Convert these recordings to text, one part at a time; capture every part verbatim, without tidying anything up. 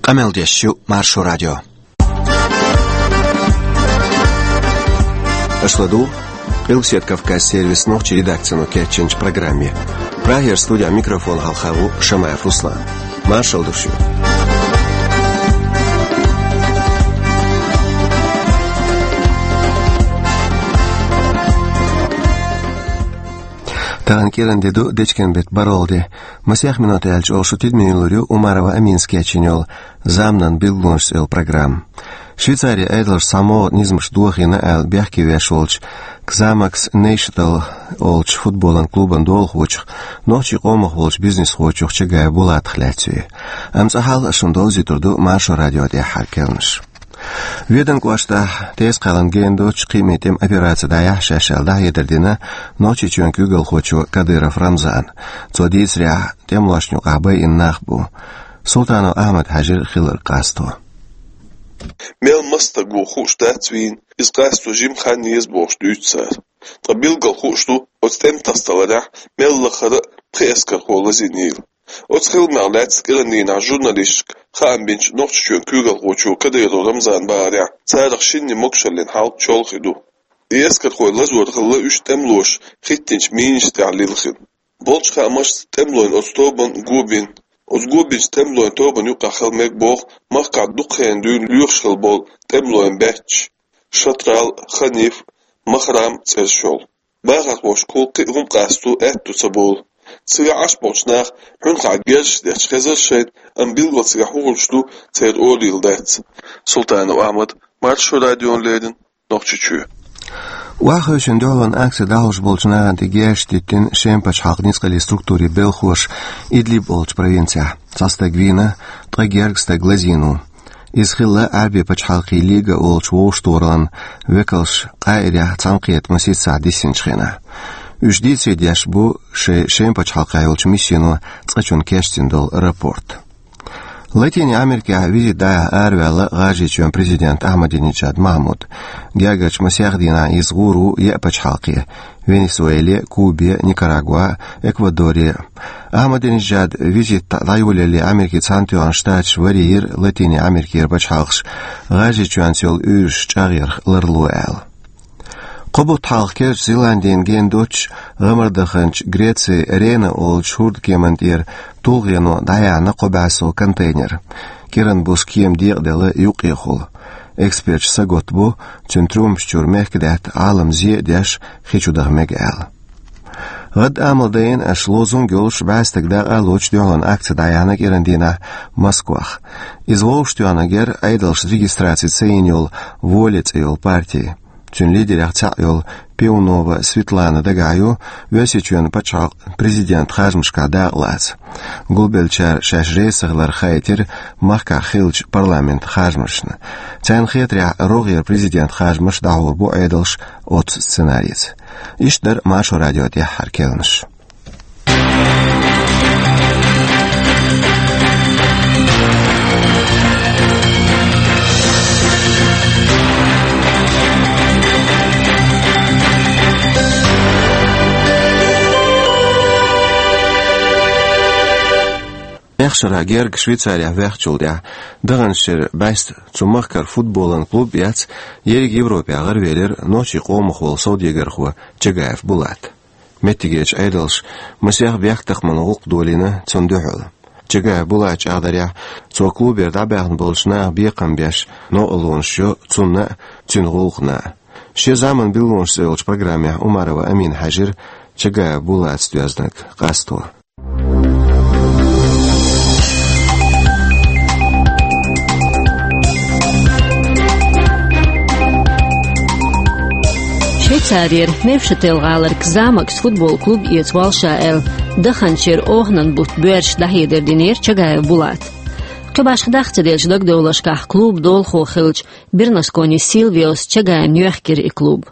Къамел деш ю Маршо радио. Аша ладугӀу Къилбаседа Кавказ сервисан нохчийн редакцино кечйинчу программе. Прагера студин микрофона хьалха ву Шамаев Руслан. Маршалла ду шуьга. Тахана кӀиран де ду, дечкен беттан бархӀалгӀа де. Масех минот аьлча оха шун тидаме лур ю Умарова Аминас кечйина йолу «Заманан билгалонаш» цӀе йолу программа. Швейцарин Ӏедалша цхьа могӀа низамаш дохийна аьлла бехке веш волчу Кзамакс Нейшатал олучу футболан клубан долахочух, нохчийн къомах волчу бизнесхочух Чагаев Булатах лаьцна ю. Амма цкъа хьалха шуна довзуьйтур ду Маршо радион тӀаьххьара керланаш. Веданан кӀоштахь, Теза-Кхаьллана гена доцчу кхиамийн тӀеман операци дӀаяхьа шаьш аьлла дӀахьедар дина Нохчийчоьнан куьйгалхочо Кадыров Рамзана. Цо дийцарехь, тӀемалошна юкъахь байина нах бу. Султанов Ахьмад-Хьаьжин хилларг къасто. Мел маса стаг ву хууш дац вийна, иза къасто жима хан еза бохуш дуьйцу цара. Ткъа билггал хууш ду, оцу тӀеман тасадаларехь мел лахара а пхи эскархо лазийнийла. Оцу хиламех лаьцна кӀиран дийнахь журналисташка хаам бинчу Нохчийчоьнан куьйгалхочо Кадыров Рамзана бахарехь, царах шинна могушаллин хьал чолхе ду. И эскархой лазор хилла уьш тӀемалоша хӀиттинчу минашна тӀехь лилхина. Болчу хаамашца, тӀемалойн оцу тобанна го бина. Оцу го бинчу тӀемалойн тобанна юкъахь хила мега боху махкахь дукха хенахь дуьйна лоьхуш хилла болу тӀемалойн баьчча: Шатрал, Ханиф, Махрам цӀераш йолу. Бахархошкахула кхин а хӀума къасто аьтто ца болу. Цигахь Ӏаш болчу наха хьуьнхахь герзаш детташ хезара шайна, амма билггал цигахь хӀун хуьлуш ду, церан олийла дац. Султанов Ахьмад, Маршо радиона леррина, Нохчийчоь. Охьахевшина дуьхьалонан акци дӀахьош болчу нахана тӀе герзаш диттина Шеман пачхьалкхан ницкъаллин структурийн белхахоша Идлиб олучу провинцехь. Цхьа стаг вийна, ткъа гергга стаг лазийна ву. Иза хилла Ӏаьрбийн пачхьалкхийн Лига олучу вовшахтохараллин векалша Къаирехь цхьаьнакхетта масийтта сахьт диссинчу хенахь. Уьш дийцаре деш бу шайн Шеман пачхьалкхехь йолчу миссино цкъачунна кечдина долу рапорт. Латинийн Америкехь визит дӀаяхьа араваьлла ГӀажарийчоьнан президент Ахьмадинеджад Махьмуд. Гергарчу масех дийнахь иза гӀур ву еа пачхьалкхе: Венесуэле, Кубе, Никарагуа, Эквадоре. Ахьмадинеджадан визит дӀайолале Америкин Цхьаьнатоьхна Штаташ варе йира Латинийн Америкера пачхьалкхаш ГӀажарийчоьнца йолу уьйраш чӀагӀъярх ларло аьлла. Кхо бутт хьалха Керлачу Зеландина гена доцчу гӀамардаханчу Грецин Рена олучу хӀордкеман тӀера тулгӀено дӀаяьхьна кхо бӀе сов контейнер. КӀиран буса кема декъаделла юккъехула. Эксперташ сагатта бу, цуьнан трюмаш чуьра мехкадаьтта, Ӏалам зе а деш, хи чу даха мега аьлла. ГӀадамал дайина аша лозунг йолуш бӀе стаг дакъа а лоцуш дуьхьалонан акци дӀаяьхьна кӀиран дийнахь Москвахь. Иза вовшахтоьхнарг яра Ӏедалша регистраци ца йина йолу «Воля» цӀе йолу парти. Цуьнан лидерех цхьаъ йолу Пивнова Светлана дагахь ю Оьрсийчоьнан пачхьалкхан президентан харжамашкахь дакъа лаца. Гулбеллачара шаьш реза ца хилар хаийтира махкахь хиллачу парламентан харжамашна. Царна хетарехь, рогӀера президентан харжамаш дӀахьур бу Ӏедалша оццу сценарица. Иштта дара Маршо радион тӀаьххьара керланаш. Мехшара герга Швейцарехь ваьхначул тӀаьхьа, даханчу шеран бӀаьста цу махкара футболан клуб эцна, ерриг Европехь гӀаравелира нохчийн къомах волу совдегархо Чагаев Булат. Меттигерчу Ӏедалша масех бехктакхаман гӀуллакх долийна цунна дуьхьал. Чагаев Булата чӀагӀдарехь, цо клубера дӀабаьхна болчу наха бекхам беш новкъарлонаш йо цунна а, цуьнан гӀуллакхна а. Шен «Заманан билгалонаш» цӀе йолчу программехь Умарова Амина хьаьжира Чагаев Булатца доьзнарг къасто. Швейцарера Невшател-гӀалара «Кзамакс» футбол клуб эца воллу ша аьлла, даханчу шеран оханан бутт боьрша дӀахьедар динера Чагаев Булата. Кхин башха дах ца делча дагадовларшкахь, клубан долахо хиллачу Бернускони Силвиос Чагаевна йоьхкира и клуб.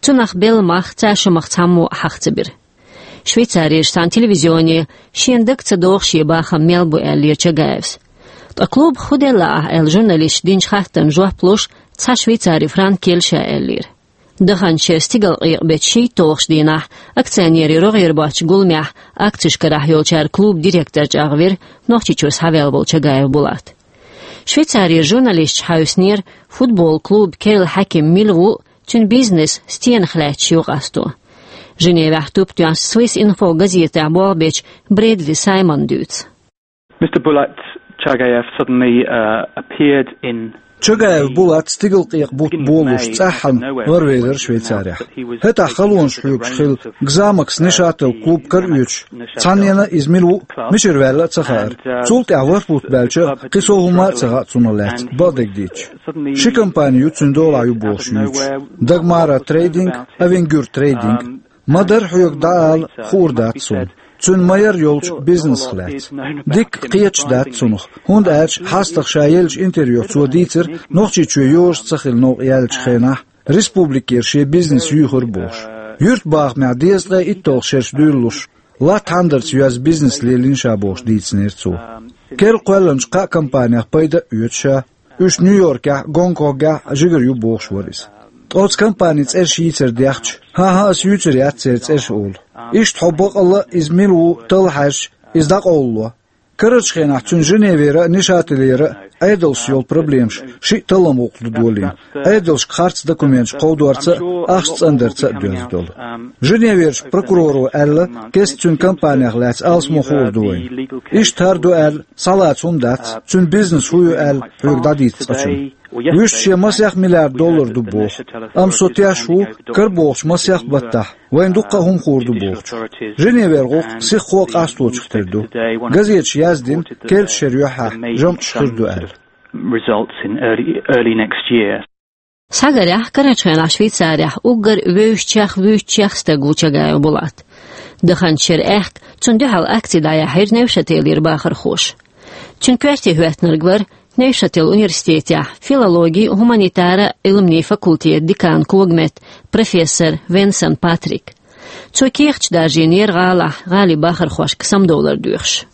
Цунах белла мах цхьа шо мах цхьаммо а хьаха ца бира. Швейцарерчу цхьана телевизионе шена дага ца догӀу шен бахам мел бу аьллера Чагаевс. Ткъа клубах хӀун делла ахь аьлла журналисташа динчу хаттарна жоп луш, цхьа швейцари франк елла ша аьллера. Даханчу шеран стигалкъекъа беттан шийтталгӀачу дийнахь акционерийн рогӀера боцчу гуламехь акцеш карахь йолчара клубан директор чӀагӀвира Нохчийчуьра схьаваьлла волу Чагаев Булат. Швейцарера журналисташ хьаьвсинера футбол клуб керла хьаькам мила ву, цуьнан бизнес стенах лаьтташ ю къасто. Женевехь туп тоьхначу Swiss Info газетехь болх бечу Брэдли Саймона дуьйцу. Mister Bulat Chagayev suddenly uh, appeared in Чагаев Булат стигалкъекъа бутт болуш цӀеххьана гӀарвелира Швейцарехь. ХӀетахь халонаш хьоьгуш хилла Гзамакс Нишател клуб кара оьцуш, цхьаннена иза мила ву, мичара ваьлла а ца хаьара. Цул тӀаьхьа ворхӀ бутт баьлча, кхин сов хӀума а ца хаьа цунах лаьцна, бакъдерг дийцича. Ши компани ю цуьнан долахь ю бохуш юьйцуш: Дагмара Трейдинг, Авенгюр Трейдинг. Ма-дарра хьоьга дӀаала, хуур дац суна. Цуьнан ма-ярра йолчу бизнесах лаьцна. Дикка кхеташ дац цунах, хӀунда аьлча хьастагӀа ша еллачу интервьюхь цо дийцира, Нохчийчоь йозуш ца хилла новкъа яьллачу хенахь, республикера шен бизнес юьйхира бохуш. Юьртбахамехь дезткъе итталгӀа шераш дуьйлалуш, латта хьандарца йоьзна бизнес лелийна ша бохуш дийцинера цо. Керла кхоьллинчу кхаа компанех пайда а оьцу ша, уьш Нью-Йоркехь, Гонконгехь жигара ю бохуш вара иза. Ткъа оцу компанийн цӀераш йийцар дехча, хӀан-хӀа, ас юьйцур яц церан цӀераш олу. Иштта хьо бакъалла а иза мила ву талла хьаьжча, иза дӀакъовлало. Карарчу хенахь цуьнан Женевера а, Нишателера а Ӏедалшца йолу проблемаш шиъ таллам гӀуллакх ду долийна. Ӏедалшка харц документаш кховдорца а, ахча цӀандарца а доьзна долу. Женеверчу прокуроро аьлла, кеста цуьнан компанех лаьцна алсамо хуур ду вайна. Иштта хӀара ду аьлла, схьалаца хӀума дац, цуьнан бизнес хӀун ю аьлла, хьоьга дӀадийца цкъачунна. Вуьшта шен масех миллиард доллар ду боху. Амма со теш ву, карабохучу масех баттахь вайна дуккха а хӀума хуур ду бохучух. Женевера гӀуллакх сиххо а къасточух тера ду. Газеташа яздина, керлачу шеран юьххьехь жамӀаш хир ду аьлла. Results in early, early next year. Схьагарехь, карарчу хенахь Швейцарехь уггар вевзачех, вуьйцучех стаг ву Чагаев Булат. Даханчу шеран аьхка цунна дуьхьал акци дӀаяьхьира Невшателера бахархоша. Цуьнан коьрте хӀоьттинарг вара Невшател университетехь филологи а, гуманитара а Ӏилманийн факультетан деканан когаметта, профессор Венсан Патрик. Цо кехаташ даржийнера гӀалахь, гӀалин бахархошка самадовлар доьхуш.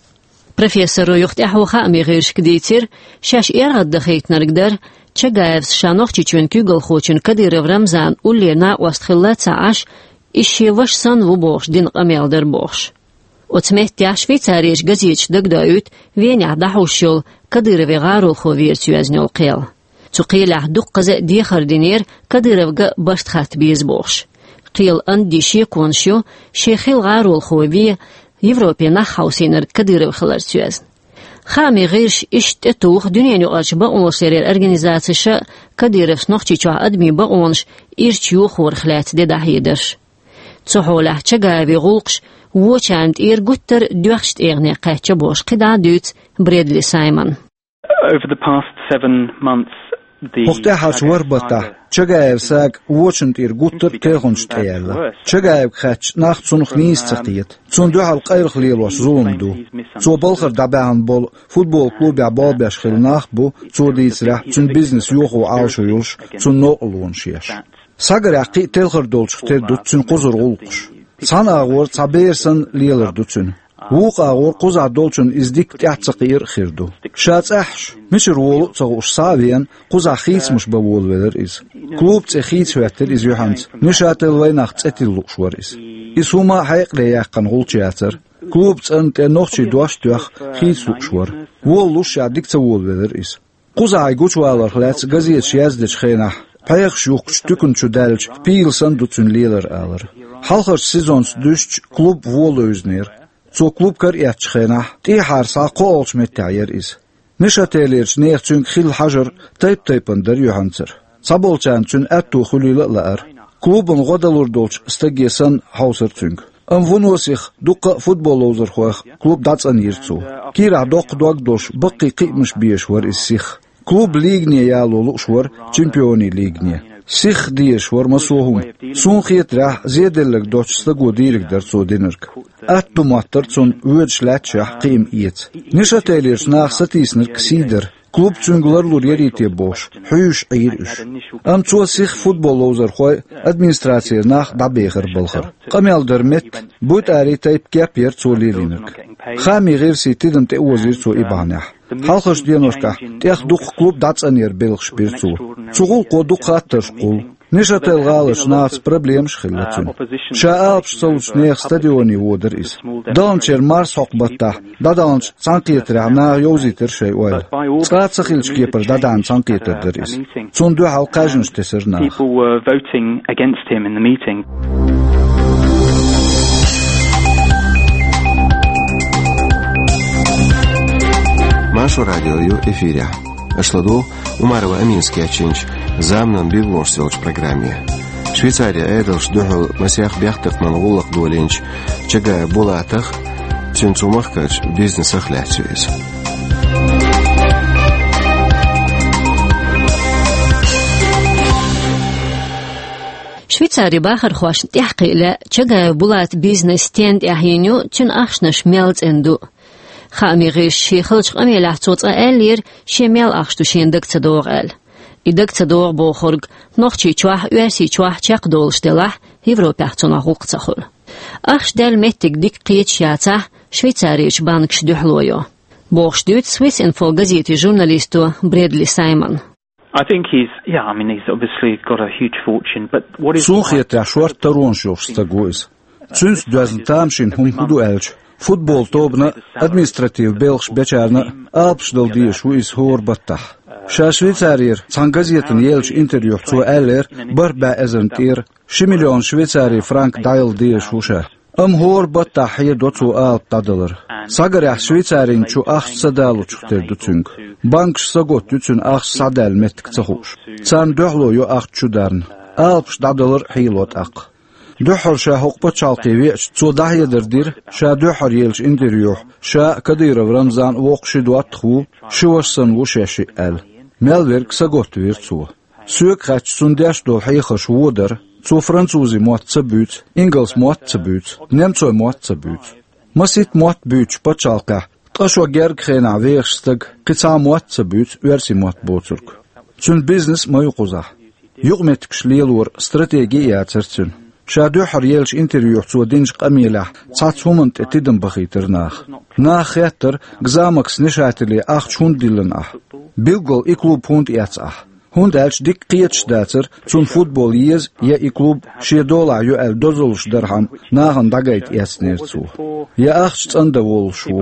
Профессоро юха тӀаьхьо хаамийн гӀирсашка дийцира, шаьш эргӀаддахийтинарг дара, Чагаевс ша Нохчийчоьнан куьйгалхочун Кадыров Рамзанан уллера накъост хилла а ца Ӏаш, иза шен ваша санна ву бохуш дина къамел дара бохуш. Оцу меттехь Швейцарерчу газеташа дагадоуьйту Венехь дӀахьуш йолу Кадыровн гӀаролхо верца йоьзна йолу кхел. Цу кхелехь дуккхаза а дехар динера Кадыровга барт хатта беза бохуш. Кхелан анди шеконаш ю, шен хилла гӀаролхо вен Европе нах хьовсийнарг Кадыров хиларца йоьзна. Хаамийн гӀирсаша иштта тӀетуху дуьненаюкъарчу бакъонашларъяран организацеша Кадыровс Нохчийчохь адамийн бакъонаш ирча йохорах лаьцна де дӀахьедарш. Цу хьолехь Чагаевн гӀуллакхаш вочарна тӀера гуттар а доьхначу тӀегӀане кхаьчна бохуш кхидӀа а дуьйцу Брэдли Саймона. Over the past seven months, the ХӀокху тӀаьххьарчу ворхӀ баттахь Чагаевн сага вочарна тӀера гуттар а телханаш тӀеяьлла. Чагаевга хаьттича, нах цунах нийса ца кхета. Цунна дуьхьал къайлаха лелош зулам ду. Цо балхара дӀабаьхьна болу футбол клубехь болх беш хилла нах а бу, цо дийцарехь, цуьнан бизнес йохо Ӏалашо йолуш, цунна новкъарлонаш еш. Схьагарехь кхин а телхар долчух тера ду цуьнан кхузара гӀуллакхаш. Цхьана агӀор цхьа бер санна лелар ду цуьнан. Вукху агӀор кхузахь долчунна иза дикка тӀаьхьа ца кхиар а хир ду. Ша цӀаьххьаш, мичара волу а ца хууш, схьа а веана, кхузахь хийцамаш бан волавелира иза. Клубан цӀе хийца хӀоьттира иза юьхьанца, Нишател вайнах цӀе тилла лууш вара иза. Иза хӀума а хьекъале яьккхина гӀулч яцара. Клубан цӀарна тӀе нохчийн дош а тоьхна, хийца лууш вара. Волалуш ша дика ца волавелира иза. Кхузахь и гучуваларх лаьцна газеташа яздечу хенахь, пхьегӀаш юхкучу туькана чу даьллачу пийла санна ду цуьнан лелар алар. Хьалхарчу сезонца дуьстича клуб вон левзинера. Цо клуб кара эцначу хенахь, тӀехьара схьа кхоалгӀачу меттехь яра иза. Нишателерчу нехан цуьнга хилла хьажар тайп-тайпана дара юьхьанцара. Цхьаболчарна цуьнан аьтто хуьлийла а лаьара. Клубана гӀо далур долчу стаге санна хьовсара цуьнга. Амма вуно сиха дуккха а футбол ловзархойх клуб дӀацӀанйира цо. Кийрахь доккха дог долуш, баккхий кхиамаш безаш вара иза сиха. Клуб лигане яло лууш вара, чемпионийн лигане. Сиха дезаш вара массо а хӀума. Суна хетарехь, зеделларг доцучу стаго дийриг дара цо динарг. Атта ду моттара цунна воьдуш лаьтташехь кхиам эца. Нишателерчу наха сатийсинарг сий дара. Клуб цуьнга ларлур ярий те бохуш, хьуьйсуш Ӏийра уьш. Амма цо сиха футбол ловзархой, администрацера нах дӀабехара балхара. Къамел дара метта, буйтӀарий тайпа кеп яра цо лелийнарг. Хаамийн гӀирсийн тидам тӀеозийра цо и бахьанехь. Хьалхарчу деношкахь тӀех дукха клуб дӀацӀанъяран белхаш бира цо. Цу гӀуллакхо дукха хаттарш кхуллу. Нешатель гӀаларчу нахаца проблемаш хилла цуьнан. Ша алапаш ца луш нехан стадионе водара иза. Даханчеран марсхьокху баттахь дӀадаханчу цхьаьнакхетарехь наха йовзийтира шайн ойла. Цкъа а ца хиллачу кепара дӀадаьхьна цхьаьнакхетар дара иза. Цунна дуьхьал кхаьжнаш тесира наха. People were voting against him in the meeting. Маршо радио ю эфирехь. Аша ладугӀу Умарова Аминас кечйинчу «Заманан билгалонаш» йолчу программе. Швейцарин Ӏедалшна дуьхьал масех бехктакхаман гӀуллакх долийначу Чагаев Булатах, цуьнан цу махкарчу бизнесах лаьцна ю иза. Швейцарин бахархошна тӀаьхьакхиа лаьа Чагаев Булатан бизнес стенна тӀехь йина ю, цуьнан ахчанаш мел цӀена ду. Хаамийн гӀирсаша шен хиллачу къамелехь цо цкъа аьллера, шен мел ахча ду шена дага ца догӀу аьлла. И дага ца догӀу бохург Нохчийчохь а, Оьрсийчохь а чекхдолуш делахь, Европехь цунах гӀуллакх ца хуьлу. Ахча даьлла меттиг дика кхеташ яцахь, Швейцарерчу банкаша дуьхьало йо, бохуш дуьйцу Swiss Info газетан журналисто Брэдли Саймона. I think he's, yeah, I mean, he's obviously got a huge fortune, but what is... Суна хетарехь, шорта таронаш йолуш стаг ву иза. Цуьнца доьзна тамашийна хӀума хӀун ду аьлча, футбол тобанна а, административ белхаш бечарна а алапаш дала дезаш ву иза хӀора баттахь. Ша Швейцарера цхьана газетана еллачу интервьюхь цо аьллера, бархӀ бӀе эзарна тӀера ши миллион швейцарин франк дӀаяла дезаш ву ша. Амма хӀора баттахь хьедо цо алапа дӀадалар. Схьагарехь, Швейцарин чу ахча ца далучух тера ду цуьнга. Банкаш саготта ю цуьнан ахча схьадаьлла меттиг ца хууш. Царна дуьхьало йо ахча чу дарна. Алапаш дӀадалар а хьело тӀаккха. Дуьххьара ша хӀокху пачхьалкхе веача, цо дӀахьедар дира, ша дуьххьара еллачу интервьюхь, ша а, Кадыров Рамзан а воккха ши доттагӀа ву, ши ваша санна ву шаьш шиъ аьлла. Мел верг саготта вира цо. Соьга хаьттича, цунна деш долу хьехарш вон дара. Цо французийн мотт ца буьйцу, ингалс мотт ца буьйцу, немцойн мотт ца буьйцу. Масийтта мотт буьйцучу пачхьалкхехь, ткъа шо гергга хенахь вехаш стаг, кхин цхьа а мотт ца буьйцу, оьрсийн мотт боцург. Цуьнан бизнес ма ю кхузахь. Юкъаметтигаш лелоран стратеги а яцара цуьнан. Ша дуьххьара еллачу интервьюхь цо динчу къамелехь цхьацца хӀуманна тӀе тидам бахийтира наха. Наха хеттара, Ксамакс Нешателе ахча хӀунда диллина ахь? Билггал и клуб хӀунда эцна ахь? ХӀунда аьлча дика кхеташ дацара, цунна футбол еза я и клуб шен долахь ю аьлла дозаллаш дархьама нахана дӀагайта эцнера цо. Я ахча цӀандан волуш ву.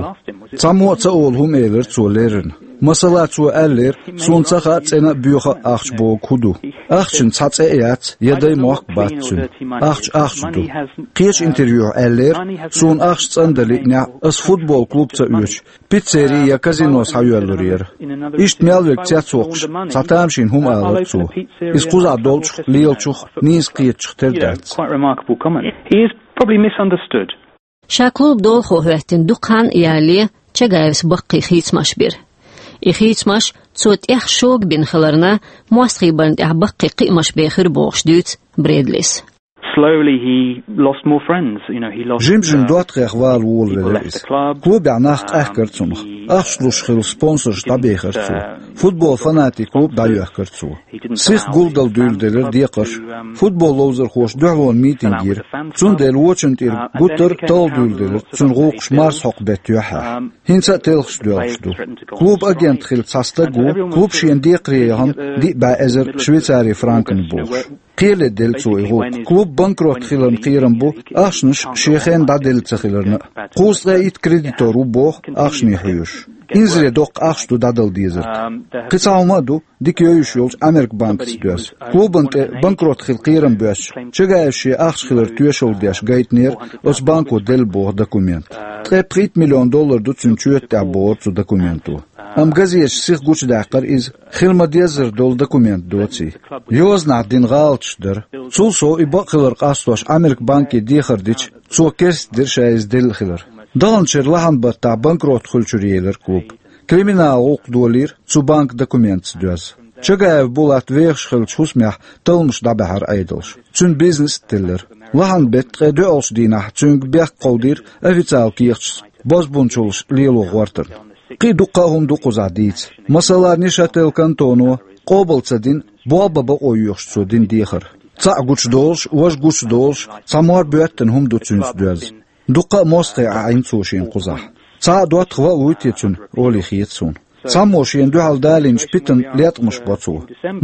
Цхьаммо а ца олу хӀума элира цо леррина. Масала, цо аьллера, суна ца хаьа цӀена а, боьха а ахча бохург хӀун ду. Ахчанан цхьа цӀе а яц, я дай-мохк а бац цуьнан. Ахча ахча ду. Кхечу интервьюхь аьллера, суна ахча цӀандан лиънехь, ас футбол клуб ца оьцуш, пиццери я казино схьайоьллур яра. Иштта мел верг цецвоккхуш, цхьа тамашийна хӀума алара цо. Иза кхузахь долчух, лелачух, нийса кхетачух тера дац. Quite remarkable comment. He is probably misunderstood. Ша клуб долахо хӀоьттина дукха хан а ялале, Чагаевс баккхий хийцамаш бира. И хийцамаш цо тӀех шога бина хиларна, мостагӀий барна тӀехь баккхий кхиамаш бен хир бохуш дуьйцу Брэдлис. Slowly he lost more friends, you know, he lost... Жим-жим доттагӀех вала волавелира иза. Клубехь нах къаьхкара цунах. Ахча луш хилла спонсорш дӀабехира цо. Футбол фанатийн клуб дӀайоьхкира цо. Сиха гулдала дуьйладелира декхарш. Футбол ловзархоша дуьхьалонан митинг йира. Цундела вочунна тӀера гуттар а талла дуьйладелира цуьнан гӀуллакхаш марсхьокху беттан юьххьехь. ХӀинца а телхаш доьлхуш ду. Клубан агент хилла цхьа стаг ву, клуб шена декхаре яхана диъ бӀе эзар швейцарин франкана бохуш. Кхеле делла цо и гӀуллакх. Клуб банкрот хиларна кхерам бу, ахчанаш шен хенна дӀаделла ца хиларна а. Кхузткъе итт кредитор ву боху, ахчане хьоьжуш. Инзаре доккха ахча ду дӀадала дезарг. Кхин цхьа хӀума а ду, дика йовзуш йолчу Американ банкаца доьзна. Клубана тӀе банкрот хила кхерам боьстича, Чагаевс шен ахча хилар тоьшалла деш гайтинера, оцу банко делла боху документ. Ткъе пхийтта миллион доллар ду цуьнан чоьта тӀехь бохура цу документо. Амма газеташа сиха гучудаьккхира иза, хила ма-деззара долу документ доций. Йозанахь дина гӀалаташ дара. Цул сов и бакъ хилар къастош Американ банке дехар дича, цо керстдира ша иза делла хилар. Даханчеран лахьан баттахь банкрот хуьлучуьра елира клуб. Криминал гӀуллакх долийра цу банкан документаца доьзна. Чагаев Булат вехаш хиллачу хӀусамехь талламаш дӀабаьхьира Ӏедалша. Цуьнан бизнес а теллира. Лахьан беттан ткъе доьалгӀачу дийнахь цуьнга бехк кховдийра официалан кехаташца бозбунчаллаш лело гӀортарна. Кхин а дуккха а хӀума ду кхузахь дийца. Масала, Нешатель кантоно къобал ца дина, болх бан бакъо йоьхуш цо дина дехар. Цхьаъ гучудолуш, важа гучудолуш, цхьа мор боьттина хӀума ду цуьнца доьзна. Дуккха а мостагӀий Ӏийна цо шена кхузахь. Цхьа а доттагӀа ван а вуй те цуьнан, олий хета суна. Цхьаммо шена дуьхьал далийначу питана леткъамаш бо цо.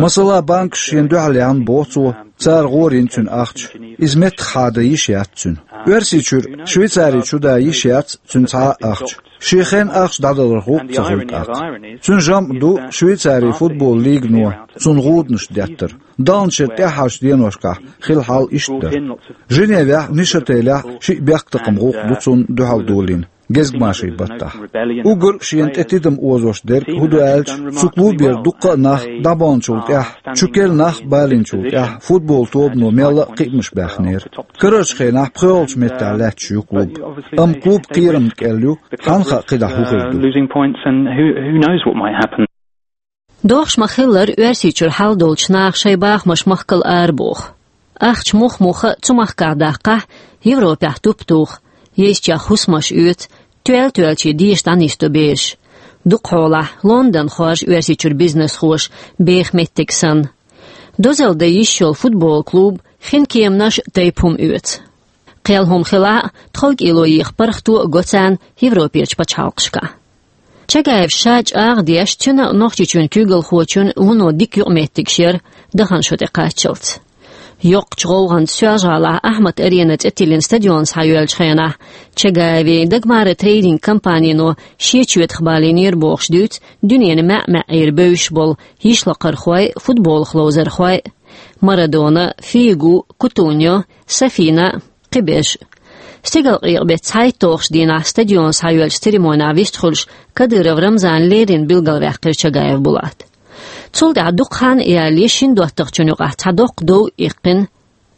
Масала, банкаш шена дуьхьал яьхна боху цо, цара гӀорийна цуьнан ахча. Иза меттаххьа дан йиш яц цуьнан. Оьрсийчуьра Швейцари чу дан йиш яц цуьнан цхьа а ахча. Шен хенахь ахча дӀадаларх гӀуллакх ца хуьлу тӀаккха. Цуьнан жамӀ ду Швейцарин футбол лигано цунна гӀуданаш деттар. Далначеран тӀаьххьарчу деношкахь хилла хьал иштта дара. Женевехь, Нейшателехь шиъ бехктакхаман гӀуллакх ду цунна дуьхьал долийна, гезгмашин баттахь. Уггар а шена тӀе тидам озош дерг хӀун ду аьлча, цу клубера дуккха а нах дӀабаханчул тӀаьхьа, чу керла нах а балийначул тӀаьхьа футбол тобано мелла а кхиамаш баьхнера. Карарчу хенахь пхоьалгӀачу меттехь лаьтташ ю клуб. Амма клуб кхерамна кӀел ю, хьанна хаьа кхидӀа хӀун хир ду. Losing points and who, who knows what might happen. Дохуш ма-хиллара, Оьрсийчуьра хьал долчу наха шайн бахамаш махкал арабоху. Ахча муха-муха цу махкахь даккхахь, Европехь туп туху, езачех хӀусамаш оьцу, тоьлла-тоьллачу деша дӀанисдо бераш. Дукхахьолахь Лондон хоржу Оьрсийчуьра бизнесхоша беха меттиг санна. Дозалла дан йиш йолу футбол клуб хин кеманаш а, тайпа хӀума оьцу. Кхел хӀума хилахь а, тховкӀело еха паргӀато а го царна Европерчу пачхьалкхашкахь. Чагаев ша чӀагӀдеш, цуьнан а, Нохчийчоьнан куьйгалхочун а вуно дика юкъаметтигаш яра дахана шо тӀе кхаччалц. Йоккхачу гӀовгӀанца Соьлжа-ГӀалахь Ахмат-Арена цӀе тиллина стадион схьайоьллучу хенахь, Чагаевн Дагмара трейдинг компанино шен чоьтах балийнера бохуш дуьйцу дуьненан маьӀ-маьӀӀера бевзаш болу йишлакхархой а, футболах ловзархой а: Марадона, Фигу, Кутуньо, Сафина, кхиберш. Стигалкъекъа-беттан цхьайтталгӀачу дийнахь стадион схьайоьллучу церемонехь вистхуьлуш, Кадыров Рамзана леррина билгалваьккхира Чагаев Булат. Цул тӀаьхьа дукха хан а ялале, шина доттагӀчун юкъахь цхьа доккха дов а иккхина,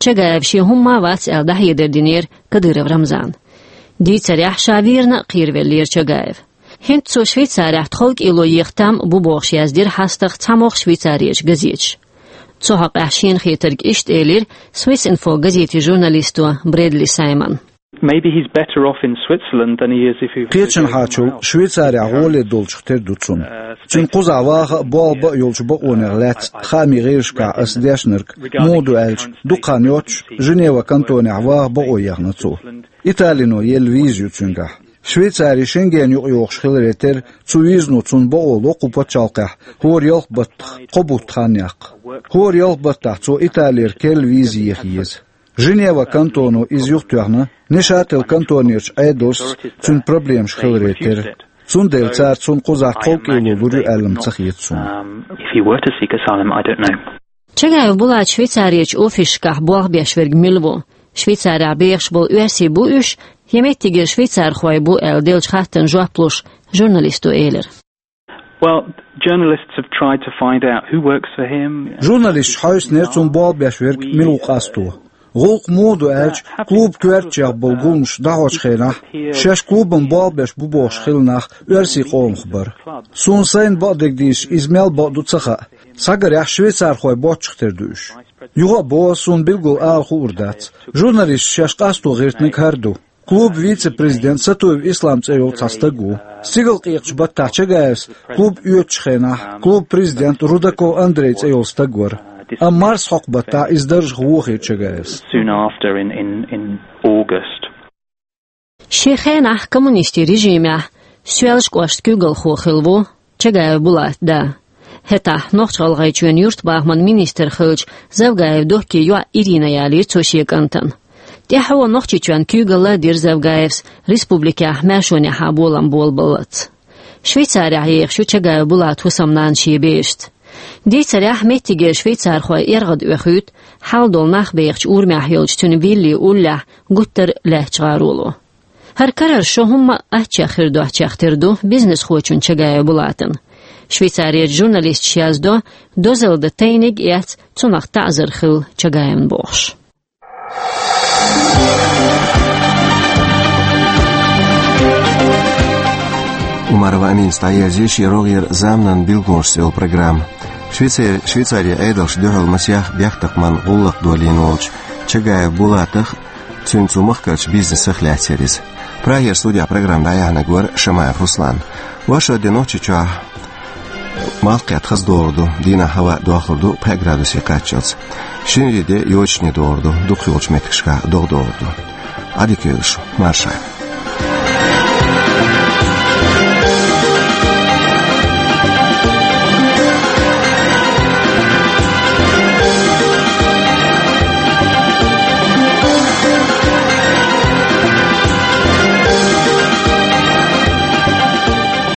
Чагаев шен хӀумма а вац аьлла дӀахьедар динера Кадыров Рамзана. Дийцарехь, ша вийрна а кхеравеллера Чагаев. ХӀинца цо Швейцарехь тховкӀело еха там а бу бохуш яздира хьастагӀа цхьамогӀа Швейцарерчу газеташа. Цу хьокъехь шена хетарг иштта элира Swiss Info газетин журналисто Брэдли Саймона. Maybe he's better off in Switzerland than he is if he was to go somewhere else. Кхечанхьачул Швейцарехь гӀоле долчух тера ду цунна. Цуьнан кхузахь ваха а, болх бан а йолчу бакъонех лаьцна хаамийн гӀирсашкахь ас дешнарг муха ду аьлча, дукха хан йоццуш Женева кантонехь ваха бакъо ехна цо. Италино елла виза ю цуьнгахь. Швейцари Шенген юкъа йогӀуш хиларе терра, цу визано цунна бакъо ло кху пачхьалкхехь хӀора ялх баттах кхо бутт хан яккха. ХӀора ялх баттахь цо Италера керла виза еха еза. Женева кантоно иза юхатоьхна, Нейшател кантонерчу Ӏедалшца цуьнан проблемаш хиларе терра. Цундела цара цунна кхузахь тховкӀело лур ю аьлла-м ца хета суна. Um, if he were to seek asylum, I don't know. Чагаев Булата Швейцарерчу офисашкахь болх беш верг мила ву? Швейцарехь бехаш болу оьрсий бу уьш, я меттигера швейцархой бу аьлла деллачу хаттарна жоп луш, журналисто элира: Well, journalists have tried to find out who works for him. Журналисташа хьовсинера цунна болх беш верг мила ву къасто. ГӀуллакх муха ду аьлча, клуб коьртачех болу гуламаш дӀахьочу хенахь, шаьш клубана болх беш бу бохуш хилла нах оьрсийн къомах бара. Суна сайна бакъдерг дийцича, иза мел бакъду ца хаьа. Схьагарехь, швейцархой боцчух тера ду уьш. Юха а боху, суна билггал ала хуур дац. Журналисташа шаьш къасто гӀиртинарг хӀара ду. Клубан вице-президент Сатуев Ислам цӀе йолу цхьа стаг ву. Стигалкъекъачу баттахь Чагаевс клуб оьцучу хенахь клубан президент Рудаков Андрей цӀе йолу стаг вара. Амма марсхьокху баттахь иза даржах вохийра Чагаевс. Soon after in, in, in August. Шен хенахь коммунистийн режимехь Соьлжа кӀоштан куьйгалхо хилла ву Чагаев Булат да. ХӀетахь Нохч-ГӀалгӀайчоьнан юьртабахаман министр хиллачу Завгаев Доккин йоӀ Ирина ялийра цо шен кӀантана. ТӀаьхьо Нохчийчоьнан куьйгалла а дира Завгаевс республикехь маьршонехьа болам болабаллалц. Швейцарехь ехаш ю Чагаев Булат хӀусамнана шен берашца. Дийцарехь, меттигера швейцархой эргӀад оьхуьйту, хьал долу нах бехачу урамехь йолчу цуьнан Вилли уллехь гуттар а лаьттачу гӀароло. ХӀара карара шо хӀумма а аччех хир доцчех тера ду бизнесхочун Чагаев Булатан. Швейцарерчу журналисташа яздо, дозалла дан тайниг а эцна, цунах таӀзар хилла Чагаевна бохуш. Умарова Аминас дӀаерзийра шен рогӀера «Заманан билгалонаш» цӀе йолу программа. Швейцари-, Швейцарин Ӏедалша дуьхьал масех бехктакхаман гӀуллакх долийна волчу Чагаев Булатах, цуьнан цу махкарчу бизнесах лаьцна яра иза. Прагера студехь программа дӀаяьхьнарг вара Шамаев Руслан. Оршот де Нохчийчохь малх кхетта хаза догӀур ду, дийнахь хӀаваъ дохлур ду пхи градусе кхаччалц. Шинарин де йочане догӀур ду, дукхахйолчу меттигашкахь догӀа догӀур ду. Ӏадика йойла шу, марша.